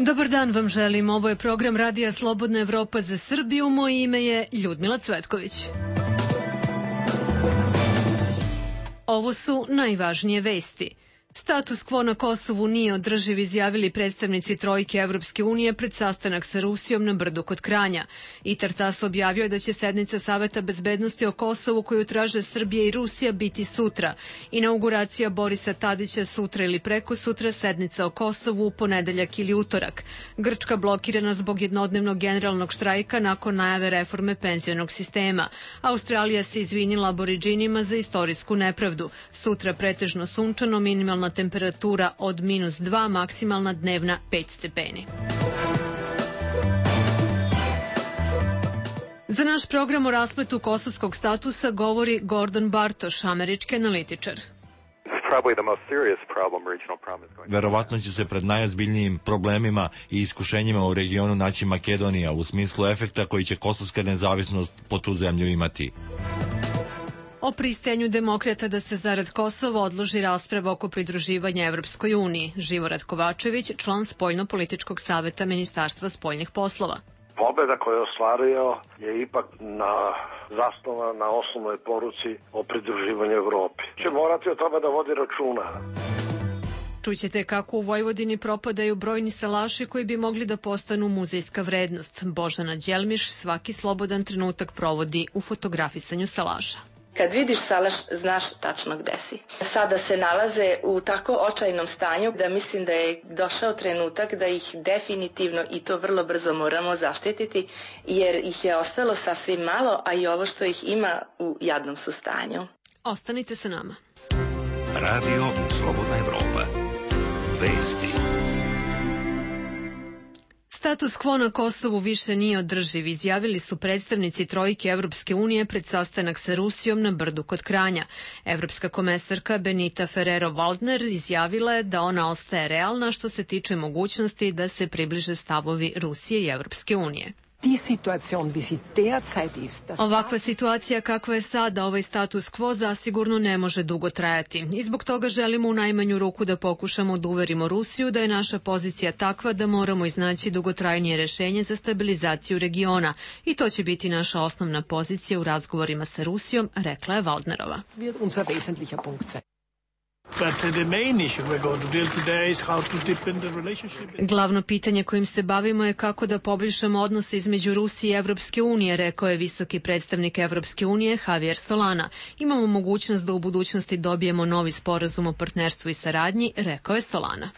Dobar dan vam želim. Ovo je program Radija Slobodna Evropa za Srbiju. Moje ime je Ljudmila Cvetković. Ovo su najvažnije vesti. Status quo na Kosovu nije održiv, izjavili predstavnici trojke Evropske unije pred sastanak sa Rusijom na Brdu kod Kranja. I Tartas objavio da će sednica Saveta bezbednosti o Kosovu koju traže Srbija i Rusija biti sutra. Inauguracija Borisa Tadića sutra ili preko sutra, sednica o Kosovu u ponedeljak ili utorak. Grčka blokirana zbog jednodnevnog generalnog štrajka nakon najave reforme penzionog sistema. Australija se izvinila Aboridžinima za istorijsku nepravdu. Sutra pretežno sunčano, minimalna temperatura od -2, maksimalna dnevna 5 stepeni. Za naš program o raspletu kosovskog statusa govori Gordon Bartoš, američki analitičar. Verovatno će se pred najozbiljnijim problemima i iskušenjima u regionu naći Makedonija u smislu efekta koji će kosovska nezavisnost po tu zemlju imati. O pristajanju demokrata da se zarad Kosova odloži rasprava oko pridruživanja Evropskoj uniji. Živorad Kovačević, član Spoljno-političkog saveta Ministarstva spoljnih poslova. Pobeda koju je ostvario je ipak zasnova na osnovnoj poruci o pridruživanju Evropi. Će morati o tome da vodi računa. Čućete kako u Vojvodini propadaju brojni salaši koji bi mogli da postanu muzejska vrednost. Božana Đelmiš svaki slobodan trenutak provodi u fotografisanju salaša. Kad vidiš salaš, znaš tačno gde si. Sada se nalaze u tako očajnom stanju da mislim da je došao trenutak da ih definitivno i to vrlo brzo moramo zaštititi, jer ih je ostalo sasvim malo, a i ovo što ih ima u jadnom su stanju. Ostanite sa nama. Radio Slobodna Evropa. Vesti. Status quo na Kosovu više nije održiv, izjavili su predstavnici trojke Evropske unije pred sastanak sa Rusijom na Brdu kod Kranja. Evropska komesarka Benita Ferrero-Waldner izjavila je da ona ostaje realna što se tiče mogućnosti da se približe stavovi Rusije i Evropske unije. Ovakva situacija kakva je sada, ovaj status quo zasigurno ne može dugo trajati. I zbog toga želimo u najmanju ruku da pokušamo da uverimo Rusiju da je naša pozicija takva da moramo iznaći dugotrajnije rešenje za stabilizaciju regiona. I to će biti naša osnovna pozicija u razgovorima sa Rusijom, rekla je Waldnerova. Glavno pitanje kojim se bavimo je kako da poboljšamo odnose između Rusije i Evropske unije, rekao je visoki predstavnik Evropske unije Javier Solana. Imamo mogućnost da u budućnosti dobijemo novi sporazum o partnerstvu i saradnji, rekao je Solana.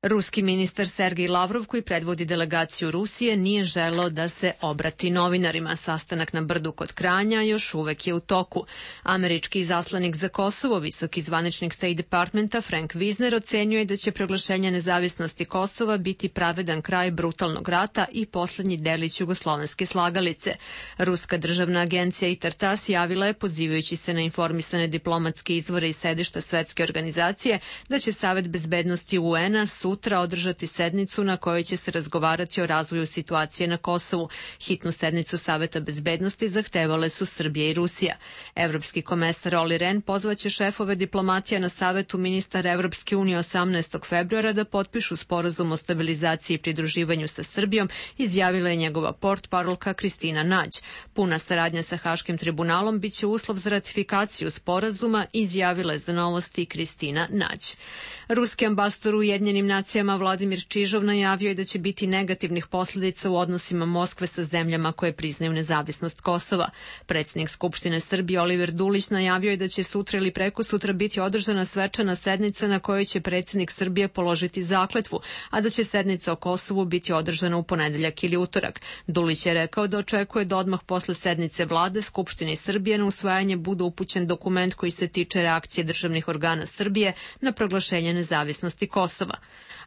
Ruski ministar Sergej Lavrov, koji predvodi delegaciju Rusije, nije želeo da se obrati novinarima. Sastanak na Brdu kod Kranja još uvek je u toku. Američki izaslanik za Kosovo, visoki zvaničnik State Departmenta Frank Wisner, ocenjuje da će proglašenje nezavisnosti Kosova biti pravedan kraj brutalnog rata i poslednji delić jugoslovenske slagalice. Ruska državna agencija i Tartas javila je, pozivajući se na informisane diplomatske izvore i sedišta svetske organizacije, da će Savet bezbednosti UN-a sutra održati sednicu na kojoj će se razgovarati o razvoju situacije na Kosovu. Hitnu sednicu Saveta bezbednosti zahtevale su Srbija i Rusija. Evropski komesar Olli Rehn pozvaće šefove diplomatija na Savetu ministara Evropske unije 18. februara da potpišu sporazum o stabilizaciji i pridruživanju sa Srbijom, izjavila je njegova portparolka Kristina Nađ. Puna saradnja sa Haškim tribunalom biće uslov za ratifikaciju sporazuma, izjavila je za Novosti Kristina Nađ. Ruski ambasador u Ujedinjenim nacijama Vladimir Čižov najavio je da će biti negativnih posledica u odnosima Moskve sa zemljama koje priznaju nezavisnost Kosova. Predsjednik Skupštine Srbije Oliver Dulić najavio je da će sutra ili prekosutra biti održana svečana sednica na kojoj će predsjednik Srbije položiti zakletvu, a da će sednica o Kosovu biti održana u ponedeljak ili utorak. Dulić je rekao da očekuje da odmah posle sednice vlade Skupštine i Srbije na usvajanje bude upućen dokument koji se tiče reakcije državnih organa Srbije na proglašenje nezavisnosti Kosova.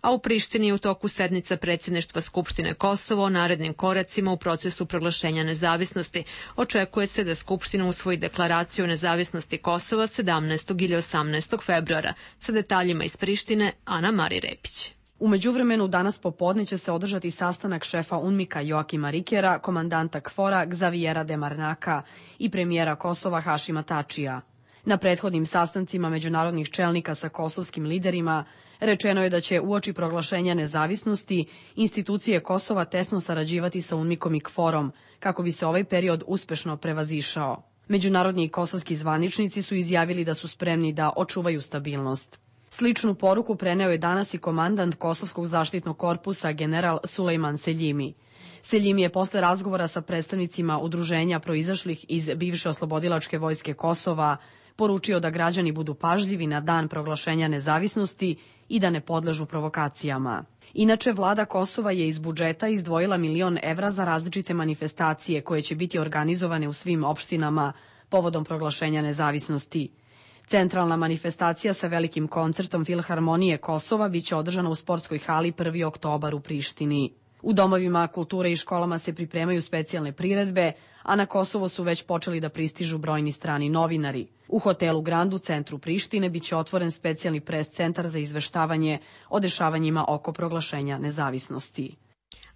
A u Prištini je u toku sednica predsjedništva Skupštine Kosova o narednim koracima u procesu proglašenja nezavisnosti. Očekuje se da Skupština usvoji deklaraciju o nezavisnosti Kosova 17. ili 18. februara. Sa detaljima iz Prištine, Ana Mari Repić. U međuvremenu danas popodne će se održati sastanak šefa UNMIK-a Joakima Rikera, komandanta KFOR-a Gzaviera Demarnaka i premijera Kosova Hašima Tačija. Na prethodnim sastancima međunarodnih čelnika sa kosovskim liderima rečeno je da će uoči proglašenja nezavisnosti institucije Kosova tesno sarađivati sa UNMIK-om i KFOR-om kako bi se ovaj period uspešno prevazišao. Međunarodni i kosovski zvaničnici su izjavili da su spremni da očuvaju stabilnost. Sličnu poruku preneo je danas i komandant Kosovskog zaštitnog korpusa general Sulejman Seljimi. Seljimi je posle razgovora sa predstavnicima udruženja proizašlih iz bivše oslobodilačke vojske Kosova poručio da građani budu pažljivi na dan proglašenja nezavisnosti i da ne podležu provokacijama. Inače, vlada Kosova je iz budžeta izdvojila 1.000.000 evra za različite manifestacije koje će biti organizovane u svim opštinama povodom proglašenja nezavisnosti. Centralna manifestacija sa velikim koncertom Filharmonije Kosova biće održana u sportskoj hali 1. oktobar u Prištini. U domovima kulture i školama se pripremaju specijalne priredbe, a na Kosovo su već počeli da pristižu brojni strani novinari. U hotelu Grand u centru Prištine biće otvoren specijalni pres centar za izveštavanje o dešavanjima oko proglašenja nezavisnosti.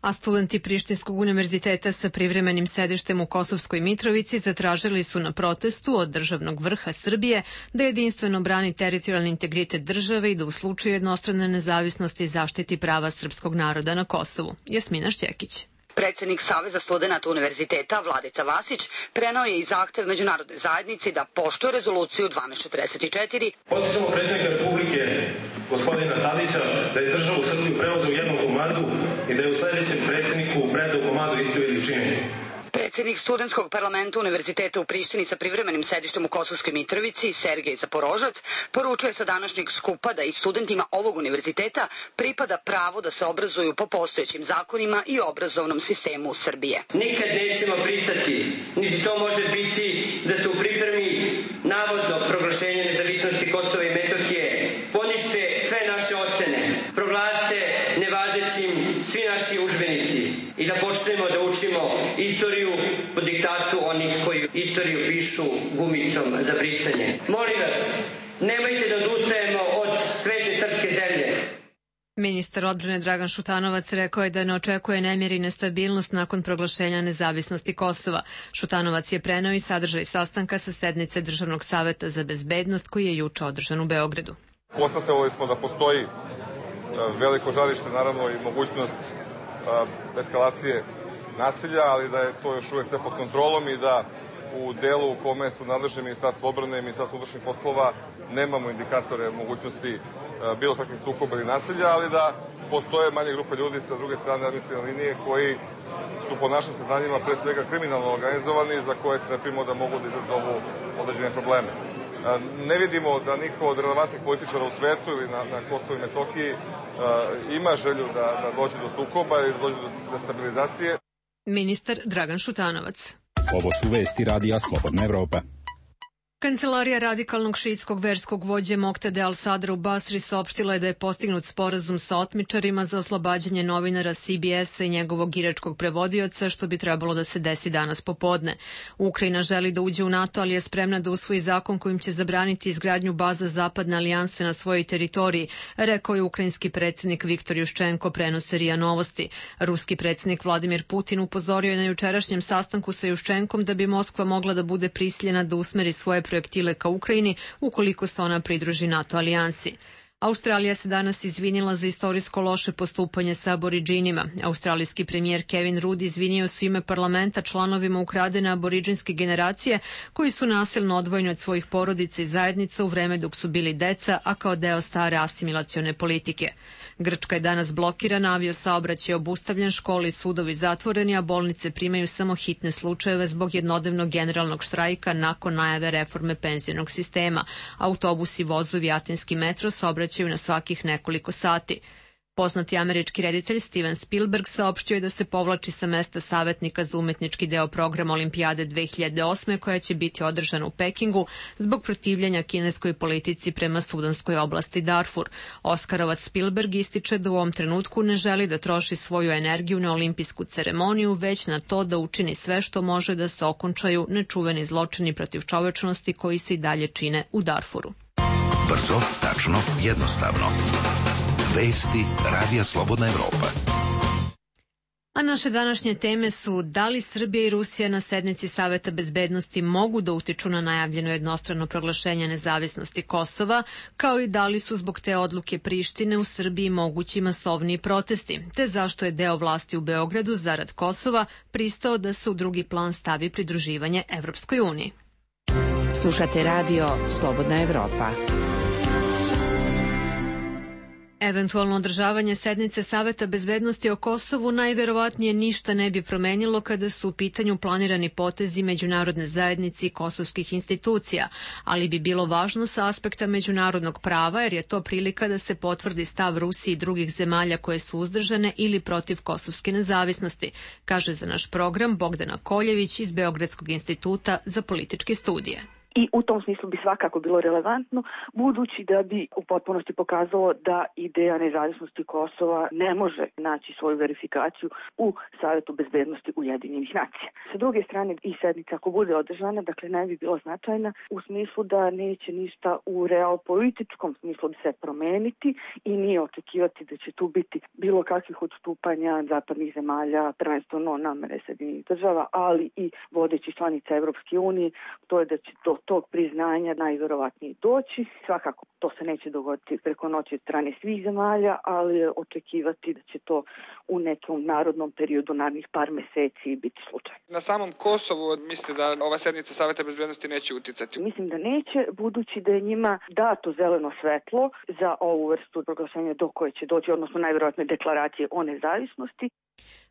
A studenti Prištinskog univerziteta sa privremenim sedištem u Kosovskoj Mitrovici zatražili su na protestu od državnog vrha Srbije da jedinstveno brani teritorijalni integritet države i da u slučaju jednostrane nezavisnosti zaštiti prava srpskog naroda na Kosovu. Jasmina Šćekić. Predsednik Saveza studenata univerziteta Vladica Vasić preneo je i zahtev međunarodne zajednici da poštuje rezoluciju 1244. Podsjećamo predsednika Republike gospodina Tadića da je državu Srbiju preuzeo u jednom komadu i da je u sledećem predsedniku predao komadu iste veličine. Predsednik studentskog parlamenta univerziteta u Prištini sa privremenim sedištem u Kosovskoj Mitrovici, Sergej Zaporožac, poručuje sa današnjeg skupa da i studentima ovog univerziteta pripada pravo da se obrazuju po postojećim zakonima i obrazovnom sistemu Srbije. Nikad nećemo pristati, niti to može biti da se u pripremi navodno proglašenje nezavisnosti Kosova i Metohije ponište sve naše ocene, proglase nevažećim svi naši udžbenici i da počnemo da učimo istoriju po diktatu onih koji istoriju pišu gumicom za brisanje. Molim vas, nemojte da odustajemo od svete srpske zemlje. Ministar odbrane Dragan Šutanovac rekao je da ne očekuje nemir i nestabilnost nakon proglašenja nezavisnosti Kosova. Šutanovac je preneo i sadržaj sastanka sa sednice Državnog saveta za bezbednost koji je juče održan u Beogradu. Konstatovali smo da postoji veliko žarište, naravno i mogućnost eskalacije nasilja, ali da je to još uvek sve pod kontrolom i da u delu u kome su nadležni Ministarstvo odbrane i Ministarstvo unutrašnjih poslova nemamo indikatore mogućnosti bilo kakvih sukoba ili nasilja, ali da postoje manje grupe ljudi sa druge strane administrativne linije koji su po našim saznanjima pre svega kriminalno organizovani, za koje strepimo da mogu da izazovu određene probleme. Ne vidimo da niko od relevantnih političara u svetu ili na Kosovu i Metohiji ima želju da dođe do sukoba ili da dođe do destabilizacije. Ministar Dragan Šutanovac. Ovo su vesti Radija Slobodna Evropa. Kancelarija radikalnog šiitskog verskog vođe Moktade al-Sadra u Basri saopštila je da je postignut sporazum sa otmičarima za oslobađanje novinara CBS-a i njegovog iračkog prevodioca, što bi trebalo da se desi danas popodne. Ukrajina želi da uđe u NATO, ali je spremna da usvoji zakon kojim će zabraniti izgradnju baza Zapadne alijanse na svojoj teritoriji, rekao je ukrajinski predsjednik Viktor Juščenko, prenose RIA Novosti. Ruski predsjednik Vladimir Putin upozorio je na jučerašnjem sastanku sa Juščenkom da bi Moskva mogla da bude prisiljena da usmeri svoje projektile ka Ukrajini ukoliko se ona pridruži NATO alijansi. Australija se danas izvinila za istorijsko loše postupanje sa aboridžinima. Australijski premijer Kevin Rudd izvinio se u ime parlamenta članovima ukradene aboridžinske generacije koji su nasilno odvojeni od svojih porodica i zajednica u vreme dok su bili deca, a kao deo stare asimilacione politike. Grčka je danas blokirana, aviosaobraćaj je obustavljen, škole i sudovi zatvoreni, a bolnice primaju samo hitne slučajeve zbog jednodnevnog generalnog štrajka nakon najave reforme penzionog sistema. Autobusi, vozovi, atinski metro saobraćaju na svakih nekoliko sati. Poznati američki reditelj Steven Spielberg saopštio je da se povlači sa mesta savetnika za umetnički deo programa Olimpijade 2008. koja će biti održana u Pekingu zbog protivljenja kineskoj politici prema sudanskoj oblasti Darfur. Oskarovac Spielberg ističe da u ovom trenutku ne želi da troši svoju energiju na olimpijsku ceremoniju, već na to da učini sve što može da se okončaju nečuveni zločini protiv čovečnosti koji se i dalje čine u Darfuru. Brzo, tačno, jednostavno. Vesti Radija Slobodna Evropa. A naše današnje teme su da li Srbija i Rusija na sednici Saveta bezbednosti mogu da utiču na najavljeno jednostrano proglašenje nezavisnosti Kosova, kao i da li su zbog te odluke Prištine u Srbiji mogući masovniji protesti, te zašto je deo vlasti u Beogradu zarad Kosova pristao da se u drugi plan stavi pridruživanje Evropskoj uniji. Slušate radio Slobodna Evropa. Eventualno održavanje sednice Saveta bezbednosti o Kosovu najverovatnije ništa ne bi promenilo kada su u pitanju planirani potezi međunarodne zajednice i kosovskih institucija, ali bi bilo važno sa aspekta međunarodnog prava jer je to prilika da se potvrdi stav Rusije i drugih zemalja koje su uzdržane ili protiv kosovske nezavisnosti, kaže za naš program Bogdana Koljević iz Beogradskog instituta za političke studije. I u tom smislu bi svakako bilo relevantno, budući da bi u potpunosti pokazalo da ideja nezavisnosti Kosova ne može naći svoju verifikaciju u Savetu bezbednosti Ujedinjenih nacija. Sa druge strane, i sednica ako bude održana, dakle ne bi bila značajna u smislu da neće ništa u realpolitičkom smislu bi se promeniti i nije očekivati da će tu biti bilo kakvih odstupanja zapadnih zemalja, prvenstveno namere Sjedinjenih država, ali i vodećih članica Evropske unije, to je da će do tog priznanja najverovatnije doći. Svakako to se neće dogoditi preko noći od strane svih zemalja, ali je očekivati da će to u nekom narodnom periodu, narednih par meseci biti slučaj. Na samom Kosovu mislite da ova sednica Saveta bezbednosti neće uticati? Mislim da neće, budući da je njima dato zeleno svetlo za ovu vrstu proglašenja do koje će doći, odnosno najverovatnije deklaracije o nezavisnosti.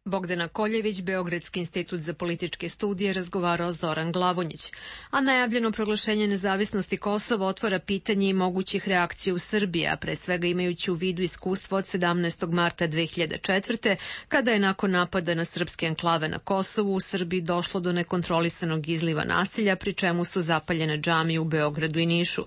Bogdana Koljević, Beogradski institut za političke studije, razgovarao Zoran Glavonjić. A najavljeno proglašenje nezavisnosti Kosova otvara pitanje i mogućih reakcija u Srbiji, a pre svega imajući u vidu iskustvo od 17. marta 2004. kada je nakon napada na srpske enklave na Kosovu u Srbiji došlo do nekontrolisanog izliva nasilja, pri čemu su zapaljene džamije u Beogradu i Nišu.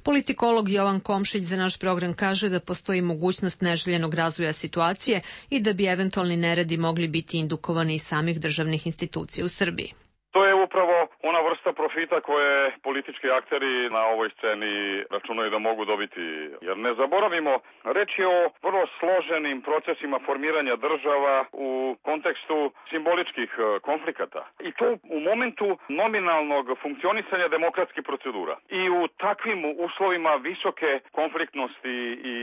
Politikolog Jovan Komšić za naš program kaže da postoji mogućnost neželjenog razvoja situacije i da bi eventualni neredi mogli biti indukovani iz samih državnih institucija u Srbiji. To je upravo ona vrsta profita koje politički akteri na ovoj sceni računaju da mogu dobiti. Jer ne zaboravimo, reč je o vrlo složenim procesima formiranja država u kontekstu simboličkih konflikata. I to u momentu nominalnog funkcionisanja demokratskih procedura. I u takvim uslovima visoke konfliktnosti i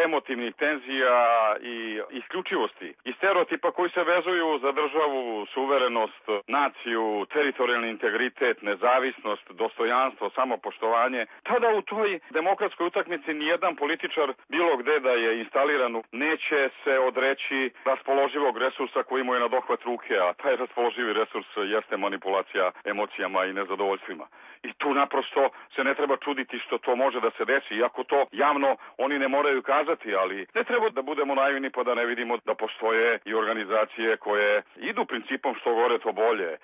emotivnih tenzija i isključivosti i stereotipa koji se vezuju za državu, suverenost, naciju, teritorijalni integritet, nezavisnost, dostojanstvo, samopoštovanje, tada u toj demokratskoj utakmici nijedan političar bilo gde da je instaliran neće se odreći raspoloživog resursa koji mu je na dohvat ruke, a taj raspoloživi resurs jeste manipulacija emocijama i nezadovoljstvima. I tu naprosto se ne treba čuditi što to može da se desi, iako to javno oni ne moraju kazati, ali ne treba da budemo naivni pa da ne vidimo da postoje i organizacije koje idu principom što gore to bolje.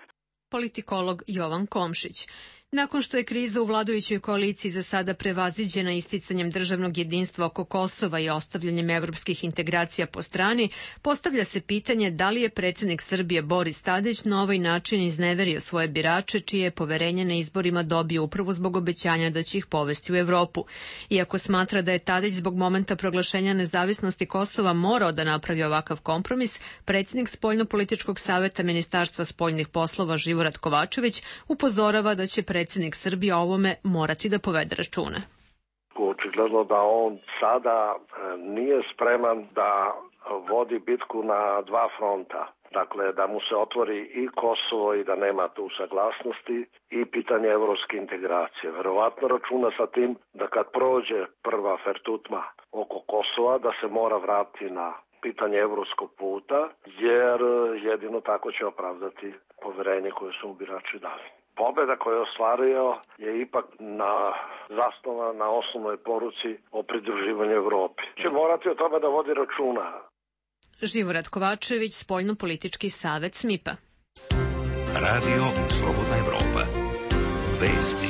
Politikolog Jovan Komšić. Nakon što je kriza u vladajućoj koaliciji za sada prevaziđena isticanjem državnog jedinstva oko Kosova i ostavljanjem evropskih integracija po strani, postavlja se pitanje da li je predsjednik Srbije Boris Tadić na ovaj način izneverio svoje birače, čije je poverenje na izborima dobio upravo zbog obećanja da će ih povesti u Evropu. Iako smatra da je Tadić zbog momenta proglašenja nezavisnosti Kosova morao da napravi ovakav kompromis, predsjednik Spoljno-političkog saveta Ministarstva spoljnih poslova Živorad Kovačević upozorava da će predsjednik Srbije o ovome morati da povede račune. Očigledno da on sada nije spreman da vodi bitku na dva fronta. Dakle, da mu se otvori i Kosovo i da nema tu saglasnosti i pitanje evropske integracije. Verovatno računa sa tim da kad prođe prva fertutma oko Kosova, da se mora vratiti na pitanje evropskog puta, jer jedino tako će opravdati poverenje koje su mu birači dali. Pobeda koju je ostvario je ipak zasnovana na osnovnoj poruci o pridruživanju Evropi. Će morati o tome da vodi računa. Živorad Kovačević, Spoljno-politički savet SMIPA. Radio Slobodna Evropa. Vesti.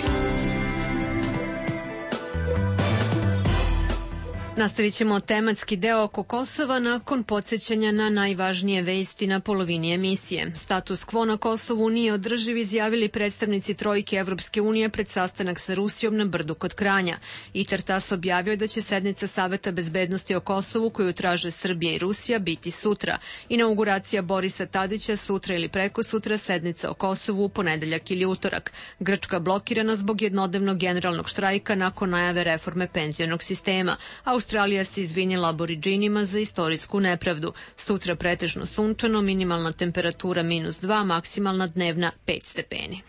Nastavit ćemo tematski deo oko Kosova nakon podsjećanja na najvažnije vesti na polovini emisije. Status quo na Kosovu nije održiv, izjavili predstavnici trojke Evropske unije pred sastanak sa Rusijom na Brdu kod Kranja. ITER-TASS objavio da će sednica Saveta bezbednosti o Kosovu koju traže Srbija i Rusija biti sutra. Inauguracija Borisa Tadića sutra ili preko sutra, sednica o Kosovu u ponedeljak ili utorak. Grčka blokirana zbog jednodnevnog generalnog štrajka nakon najave reforme penzionog sistema. Australija se izvinjela Aboridžinima za istorijsku nepravdu. Sutra pretežno sunčano, minimalna temperatura -2, maksimalna dnevna 5 stepeni.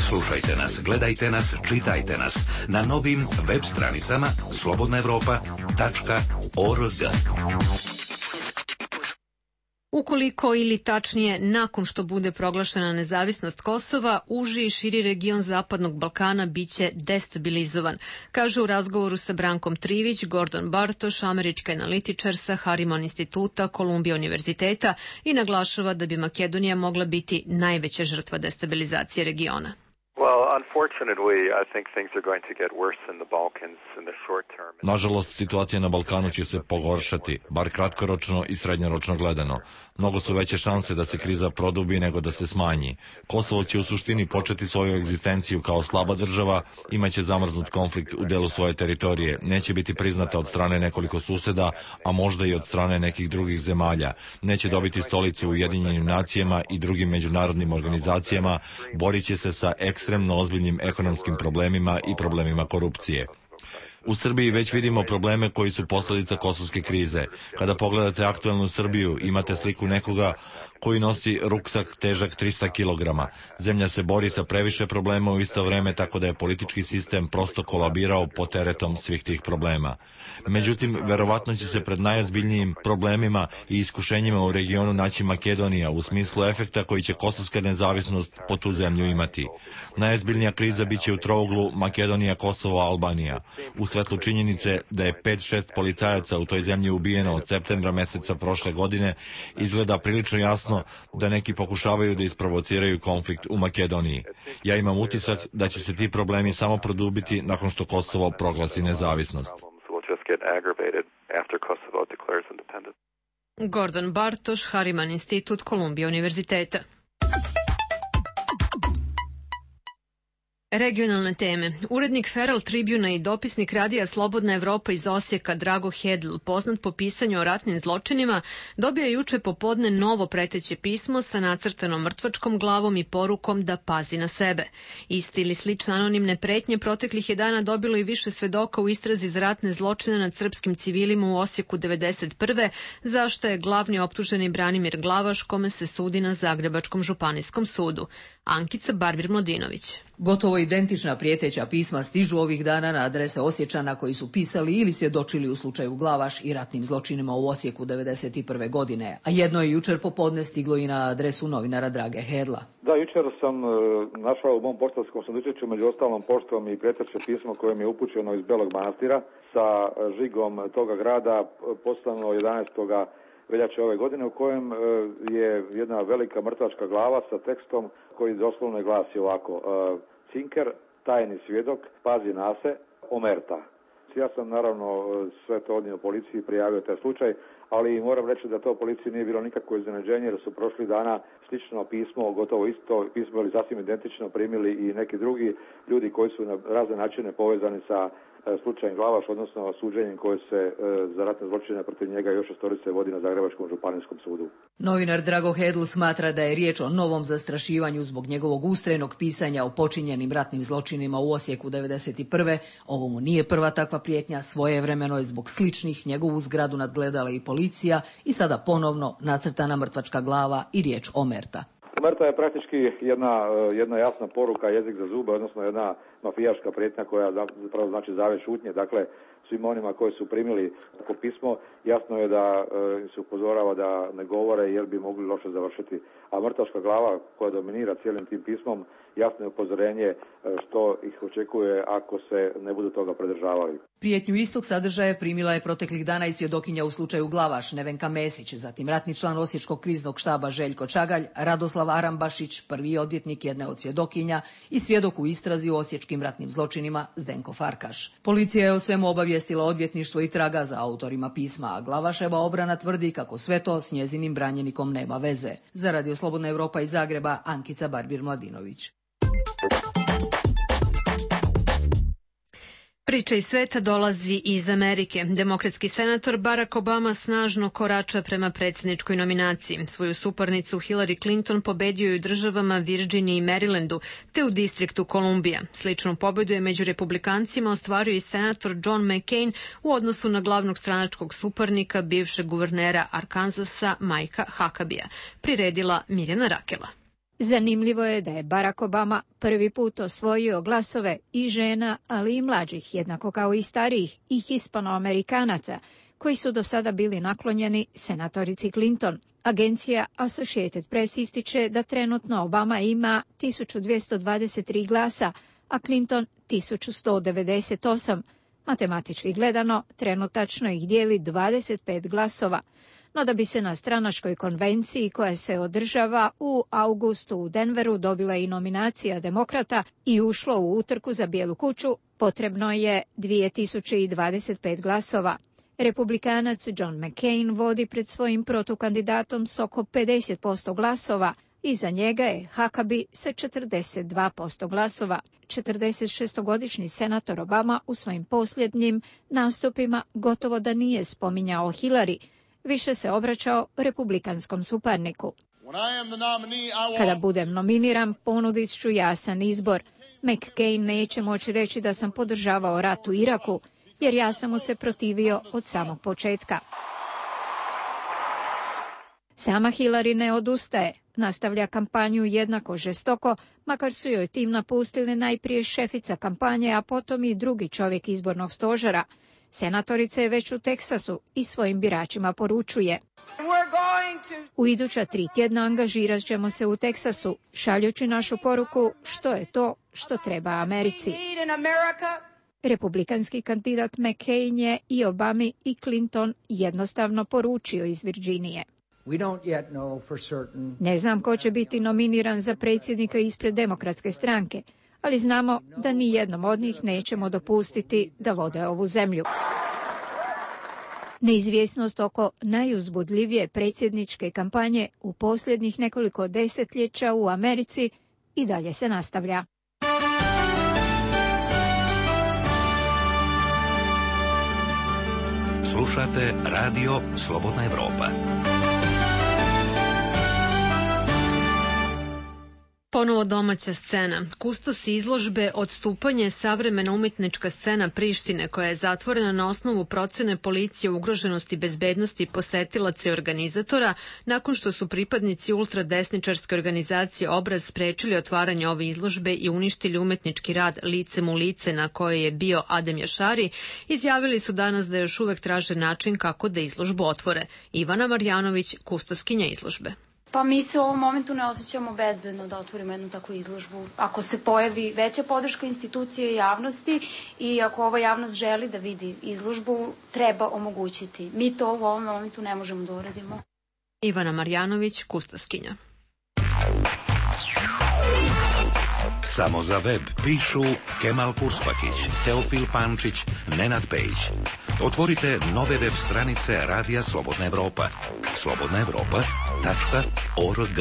Slušajte nas, gledajte nas, čitajte nas na novim web stranicama slobodnaevropa.org. Ukoliko ili tačnije nakon što bude proglašena nezavisnost Kosova, uži i širi region Zapadnog Balkana biće destabilizovan, kaže u razgovoru sa Brankom Trivić Gordon Bartoš, američki analitičar sa Harriman instituta Kolumbija univerziteta, i naglašava da bi Makedonija mogla biti najveća žrtva destabilizacije regiona. Nažalost, situacija na Balkanu će se pogoršati, bar kratkoročno i srednjoročno gledano. Mnogo su veće šanse da se kriza produbi nego da se smanji. Kosovo će u suštini početi svoju egzistenciju kao slaba država, imaće zamrznut konflikt u delu svoje teritorije, neće biti priznata od strane nekoliko suseda, a možda i od strane nekih drugih zemalja, neće dobiti stolicu u Ujedinjenim nacijama i drugim međunarodnim organizacijama, borit će se sa ekstremno ozbiljnim ekonomskim problemima i problemima korupcije. U Srbiji već vidimo probleme koji su posljedica kosovske krize. Kada pogledate aktualnu Srbiju, imate sliku nekoga koji nosi ruksak težak 300 kg. Zemlja se bori sa previše problema u isto vreme, tako da je politički sistem prosto kolabirao pod teretom svih tih problema. Međutim, verovatno će se pred najozbiljnijim problemima i iskušenjima u regionu naći Makedonija u smislu efekta koji će kosovska nezavisnost po tu zemlju imati. Najozbiljnija kriza biće u trouglu Makedonija, Kosovo, Albanija. U svetlu činjenice da je 5-6 policajaca u toj zemlji ubijeno od septembra meseca prošle godine, izgleda prilično jasno da neki pokušavaju da isprovociraju konflikt u Makedoniji. Ja imam utisak da će se ti problemi samo produbiti nakon što Kosovo proglasi nezavisnost. Gordon Bartoš, Harriman institut Kolumbija univerziteta. Regionalne teme. Urednik Feral Tribuna i dopisnik radija Slobodna Evropa iz Osijeka Drago Hedl, poznat po pisanju o ratnim zločinima, dobio je juče popodne novo preteće pismo sa nacrtanom mrtvačkom glavom i porukom da pazi na sebe. Isti ili slične anonimne pretnje proteklih je dana dobilo i više svedoka u istrazi za ratne zločine nad srpskim civilima u Osijeku 1991. zašto je glavni optuženi Branimir Glavaš, kome se sudi na Zagrebačkom županijskom sudu. Ankica Barbir-Mlodinović. Gotovo identična prijeteća pisma stižu ovih dana na adrese Osječana koji su pisali ili svjedočili u slučaju Glavaš i ratnim zločinima u Osijeku 1991. godine, a jedno je jučer popodne stiglo i na adresu novinara Drage Hedla. Da, jučer sam našao u mom poštanskom sandučiću među ostalom poštom i prijeteće pismo koje mi je upućeno iz Belog Manastira sa žigom toga grada, poslano 11. veljače ove godine, u kojem je jedna velika mrtvačka glava sa tekstom koji doslovno glasi ovako: Cinker, tajni svjedok, pazi na se, omerta. Ja sam naravno sve to odnio policiji, prijavio taj slučaj, ali moram reći da to policiji nije bilo nikakvo iznenađenje, jer su prošli dana slično pismo, gotovo isto pismo ili sasvim identično primili i neki drugi ljudi koji su na razne načine povezani sa slučajem Glavaš, odnosno suđenjem koje se za ratne zločine protiv njega još 6 vodi na Zagrebačkom županijskom sudu. Novinar Drago Hedl smatra da je riječ o novom zastrašivanju zbog njegovog ustrajnog pisanja o počinjenim ratnim zločinima u Osijeku 1991. Ovo mu nije prva takva prijetnja, svojevremeno je zbog sličnih njegovu zgradu nadgledala i policija i sada ponovno nacrtana mrtvačka glava i riječ omerta. Omerta je praktički jedna jasna poruka, jezik za zube, odnosno jedna mafijaška prijetnja koja zapravo znači zavjet šutnje. Dakle, svima onima koji su primili tako pismo, jasno je da se upozorava da ne govore jer bi mogli loše završiti. A mrtvačka glava koja dominira cijelim tim pismom jasno upozorenje što ih očekuje ako se ne budu toga pridržavali. Prijetnju istog sadržaja primila je proteklih dana i svjedokinja u slučaju Glavaš Nevenka Mesić, zatim ratni član Osječkog kriznog štaba Željko Čagalj, Radoslav Arambašić, prvi odvjetnik jedne od svjedokinja i svjedok u istrazi u osječkim ratnim zločinima Zdenko Farkaš. Policija je o svemu obavijestila odvjetništvo i traga za autorima pisma, a Glavaševa obrana tvrdi kako sve to s njezinim branjenikom nema veze. Za Radio Slobodna Evropa iz Zagreba, Ankica Barbir-Mladinović. Priča iz sveta dolazi iz Amerike. Demokratski senator Barack Obama snažno korača prema predsjedničkoj nominaciji. Svoju suparnicu Hillary Clinton pobedio je u državama Virginiji i Marylandu, te u distriktu Kolumbija. Sličnu pobedu je među republikancima ostvario i senator John McCain u odnosu na glavnog stranačkog suparnika, bivšeg guvernera Arkansasa Mikea Huckabea. Priredila Mirjana Rakela. Zanimljivo je da je Barack Obama prvi put osvojio glasove i žena, ali i mlađih, jednako kao i starijih i Hispanoamerikanaca, koji su do sada bili naklonjeni senatorici Clinton. Agencija Associated Press ističe da trenutno Obama ima 1223 glasa, a Clinton 1198. Matematički gledano, trenutačno ih dijeli 25 glasova. No da bi se na stranačkoj konvenciji koja se održava u augustu u Denveru dobila i nominacija demokrata i ušlo u utrku za Bijelu kuću, potrebno je 2025 glasova. Republikanac John McCain vodi pred svojim protukandidatom s oko 50% glasova. Iza njega je Huckabee sa 42% glasova. 46-godišnji senator Obama u svojim posljednjim nastupima gotovo da nije spominjao Hillary, više se obraćao republikanskom suparniku. Kada budem nominiran, ponudit ću jasan izbor. McCain neće moći reći da sam podržavao rat u Iraku, jer ja sam mu se protivio od samog početka. Sama Hillary ne odustaje. Nastavlja kampanju jednako žestoko, makar su joj tim napustili najprije šefica kampanje, a potom i drugi čovjek izbornog stožera. Senatorica je već u Teksasu i svojim biračima poručuje: u iduća 3 tjedna angažirat ćemo se u Teksasu, šaljući našu poruku što je to što treba Americi. Republikanski kandidat McCain je i Obami i Clinton jednostavno poručio iz Virginije: ne znam ko će biti nominiran za predsjednika ispred Demokratske stranke, ali znamo da ni jednom od njih nećemo dopustiti da vode ovu zemlju. Neizvjesnost oko najuzbudljivije predsjedničke kampanje u posljednjih nekoliko desetljeća u Americi i dalje se nastavlja. Slušate Radio Slobodna Evropa. Ponovo domaća scena. Kustos izložbe Odstupanje, savremena umjetnička scena Prištine, koja je zatvorena na osnovu procene policije ugroženosti bezbednosti posetilaca i organizatora, nakon što su pripadnici ultradesničarske organizacije Obraz sprečili otvaranje ove izložbe i uništili umjetnički rad Licem u lice na kojoj je bio Adem Jašari, izjavili su danas da još uvek traže način kako da izložbu otvore. Ivana Marjanović, kustoskinja izložbe. Pa mi se u ovom momentu ne osjećamo bezbedno da otvorimo jednu takvu izložbu. Ako se pojavi veća podrška institucije i javnosti i ako ova javnost želi da vidi izložbu, treba omogućiti. Mi to u ovom momentu ne možemo da uradimo. Ivana Marjanović, kustoskinja. Samo za web pišu Kemal Kurspakić, Teofil Pančić, Nenad Pejić. Otvorite nove web stranice Radija Slobodna Evropa. slobodnaevropa.org.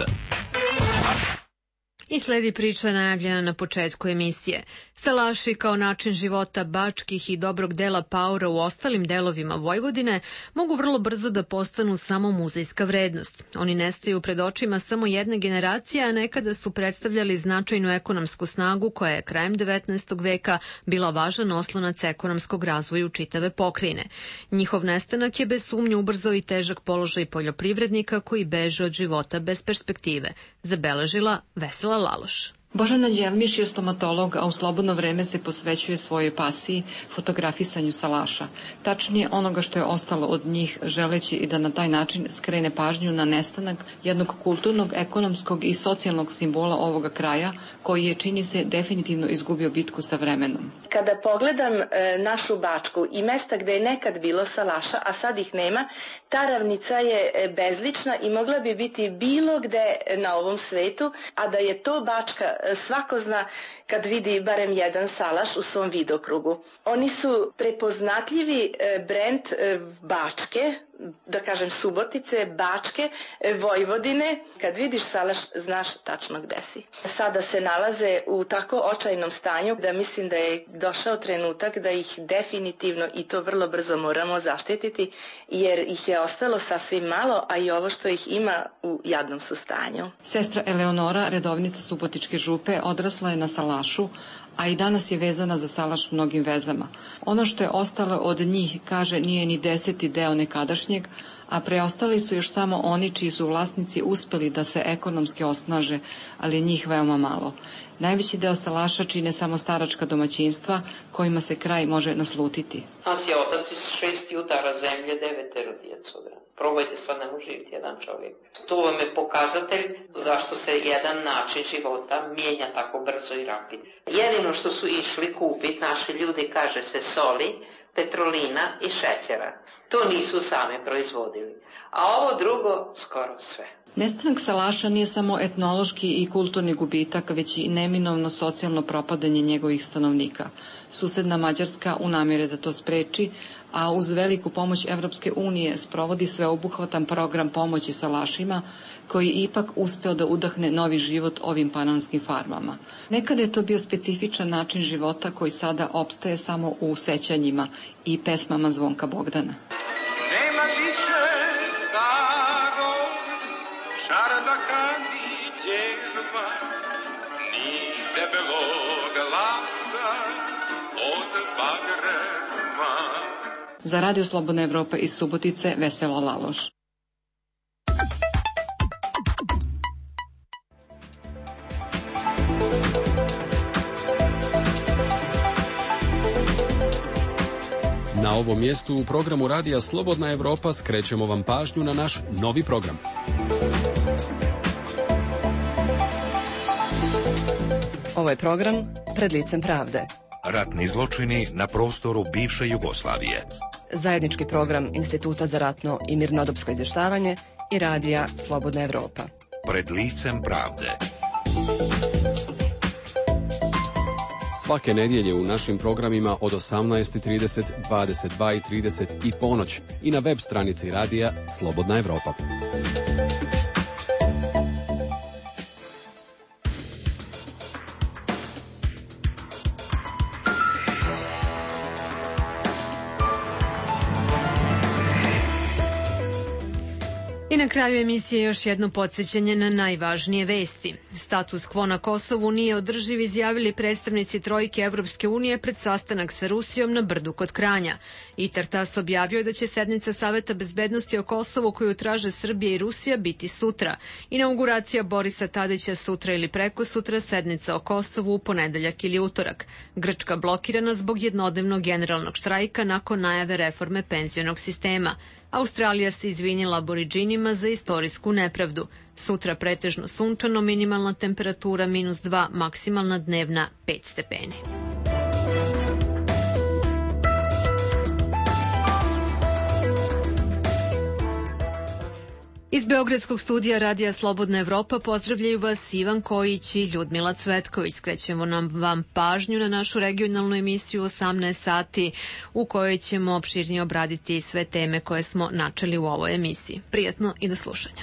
I sledi priča najavljena na početku emisije. Salaši kao način života bačkih i dobrog dela paura u ostalim delovima Vojvodine mogu vrlo brzo da postanu samo muzejska vrednost. Oni nestaju pred očima samo jedne generacije, a nekada su predstavljali značajnu ekonomsku snagu koja je krajem 19. veka bila važan oslonac ekonomskog razvoja čitave pokrajine. Njihov nestanak je bez sumnje ubrzao i težak položaj poljoprivrednika koji beže od života bez perspektive, zabeležila Vesela Laloš. Božana Đelmiš je stomatolog, a u slobodno vreme se posvećuje svojoj pasiji, fotografisanju salaša. Tačnije onoga što je ostalo od njih, želeći i da na taj način skrene pažnju na nestanak jednog kulturnog, ekonomskog i socijalnog simbola ovoga kraja, koji je, čini se, definitivno izgubio bitku sa vremenom. Kada pogledam našu Bačku i mesta gde je nekad bilo salaša, a sad ih nema, ta ravnica je bezlična i mogla bi biti bilo gde na ovom svetu, a da je to Bačka, svako zna kad vidi barem jedan salaš u svom vidokrugu. Oni su prepoznatljivi brend Bačke, da kažem Subotice, Bačke, Vojvodine. Kad vidiš salaš, znaš tačno gde si. Sada se nalaze u tako očajnom stanju da mislim da je došao trenutak da ih definitivno i to vrlo brzo moramo zaštititi, jer ih je ostalo sasvim malo, a i ovo što ih ima u jadnom su stanju. Sestra Eleonora, redovnica Subotičke župe, odrasla je na salašu, a i danas je vezana za salaš mnogim vezama. Ono što je ostalo od njih, kaže, nije ni 10. deo nekadašnjeg, a preostali su još samo oni čiji su vlasnici uspeli da se ekonomski osnaže, ali njih veoma malo. Najveći deo salaša čine samo staračka domaćinstva kojima se kraj može naslutiti. Nas je otac iz 6 jutara zemlje, 9 djecu. Probajte, sad ne može živjeti jedan čovjek. To vam je pokazatelj zašto se jedan način života mijenja tako brzo i rapidno. Jedino što su išli kupiti naši ljudi, kaže se, soli, petrolina i šećera. To nisu same proizvodili. A ovo drugo skoro sve. Nestanak salaša nije samo etnološki i kulturni gubitak, već i neminovno socijalno propadanje njegovih stanovnika. Susedna Mađarska u namjere da to spreči, a uz veliku pomoć Evropske unije sprovodi sveobuhvatan program pomoći salašima, koji ipak uspeo da udahne novi život ovim panonskim farmama. Nekada je to bio specifičan način života koji sada opstaje samo u sećanjima i pesmama Zvonka Bogdana. Nema više starog čardaka ni djerva, ni debelog landa od bagrema. Za Radio Slobodna Evropa iz Subotice, Vesela Laloš. Na ovom mjestu u programu Radija Slobodna Evropa skrećemo vam pažnju na naš novi program. Ovo je program Pred licem pravde. Ratni zločini na prostoru bivše Jugoslavije. Zajednički program Instituta za ratno i mirnodopsko izvještavanje i Radija Slobodna Evropa. Pred licem pravde. Svake nedjelje u našim programima od 18:30, 22:30 i ponoć i na web stranici Radija Slobodna Evropa. I na kraju emisije još jedno podsjećanje na najvažnije vesti. Status quo na Kosovu nije održiv, izjavili predstavnici trojke Evropske unije pred sastanak sa Rusijom na Brdu kod Kranja. ITAR-TASS objavio da će sednica Saveta bezbednosti o Kosovu koju traže Srbija i Rusija biti sutra. Inauguracija Borisa Tadića sutra ili prekosutra, sednica o Kosovu u ponedeljak ili utorak. Grčka blokirana zbog jednodnevnog generalnog štrajka nakon najave reforme penzionog sistema. Australija se izvinila Aboridžinima za istorijsku nepravdu. Sutra pretežno sunčano, minimalna temperatura -2, maksimalna dnevna 5 stepeni. Iz Beogradskog studija Radija Slobodna Evropa pozdravljaju vas Ivan Kojić i Ljudmila Cvetković. Skrećemo vam pažnju na našu regionalnu emisiju 18 sati u kojoj ćemo opširnije obraditi sve teme koje smo načeli u ovoj emisiji. Prijatno i do slušanja.